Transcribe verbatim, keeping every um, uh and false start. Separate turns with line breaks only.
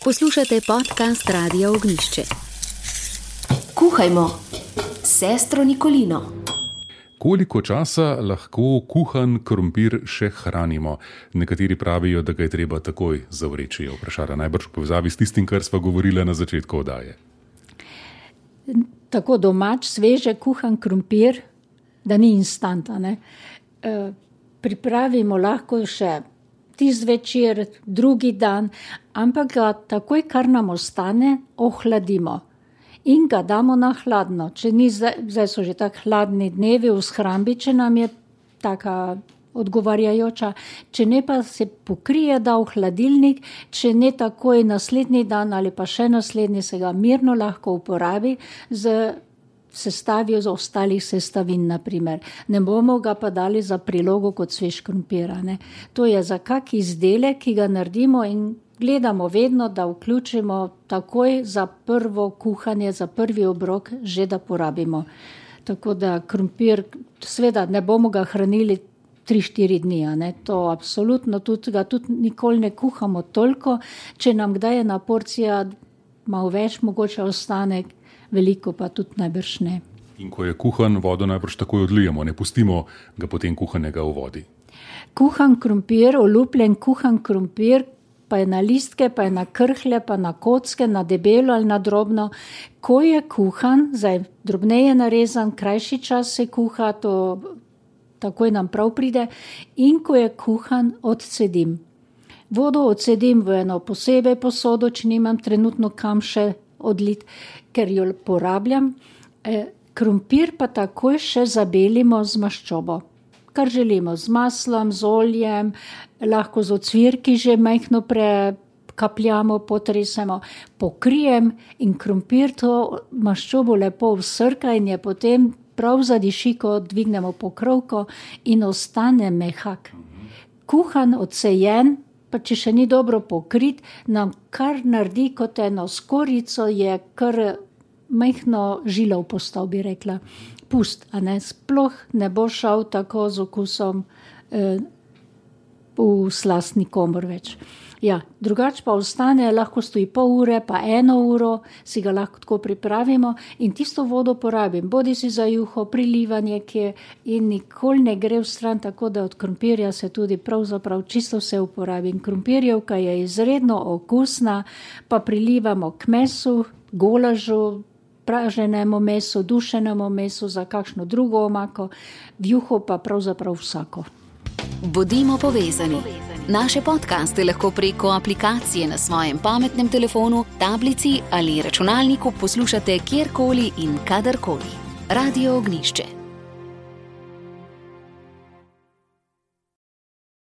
Poslušate podcast Radia Ognjišče.
Kuhajmo s sestro Nikolino.
Koliko časa lahko kuhan krompir še hranimo? Nekateri pravijo, da ga je treba takoj zavreči, je vprašala najbrž v povezavi s tistim, kar sva govorila na začetku oddaje.
Tako domač, sveže kuhan krompir, da ni instanta, ne? E, pripravimo lahko še tisti večer, drugi dan, ampak ga takoj, kar nam ostane, ohladimo in ga damo na hladno. Če ni, zdaj so že tako hladni dnevi v shrambi, če nam je taka odgovarjajoča, če ne pa se pokrije, da v hladilnik, če ne takoj naslednji dan ali pa še naslednji, se ga mirno lahko uporabi z sestavijo z ostalih sestavin, naprimer. Ne bomo ga pa dali za prilogo kot svež krompir, ne. To je za kak izdelek, ki ga naredimo in gledamo vedno, da vključimo takoj za prvo kuhanje, za prvi obrok, že da porabimo. Tako da krompir, seveda ne bomo ga hranili tri štiri dni, ne. To absolutno tudi ga tudi nikoli ne kuhamo toliko, če nam kdaj ena porcija malo več mogoče ostane, veliko pa tudi najbrž ne.
In ko je kuhan, vodo najbrž takoj odlijemo, ne pustimo ga potem kuhanega v vodi.
Kuhan krompir, olupljen kuhan krompir, pa je na listke, pa je na krhlje, pa na kocke, na debelo ali na drobno. Ko je kuhan, zdaj drobneje narezan, krajši čas se kuha, to takoj nam prav pride, in ko je kuhan, odcedim. Vodo odcedim v eno posebej posodo, če nimam trenutno kam še odlit, ker jo porabljam. E, krompir pa takoj še zabelimo z maščobo. Kar želimo, z maslom, z oljem, lahko z ocvirki že majhno prekapljamo, potresemo, pokrijem in krompir to maščobo lepo vsrka in je potem prav zadiši, ko dvignemo pokrovko in ostane mehak. Kuhan, odsejen, pa če še ni dobro pokrit, nam kar naredi kot eno skorico, je kar majhno žilov postal, bi rekla. Pust, a ne, sploh ne bo šel tako z okusom eh, v slast nikomor več. Ja, drugače pa ostane, lahko stoji pol ure, pa eno uro, si ga lahko tako pripravimo in tisto vodo porabim, bodi si za juho, prilivanje, kje in nikoli ne gre v stran, tako da od krompirja se tudi pravzaprav čisto vse uporabim. Krompirjevka je izredno okusna, pa prilivamo k mesu, golažu, praženemu mesu, dušenemu mesu, za kakšno drugo omako, v juho pa pravzaprav vsako.
Bodimo povezani. Naše podcaste lahko preko aplikacije na svojem pametnem telefonu, tablici ali računalniku poslušate kjerkoli in kadarkoli. Radio Ognjišče.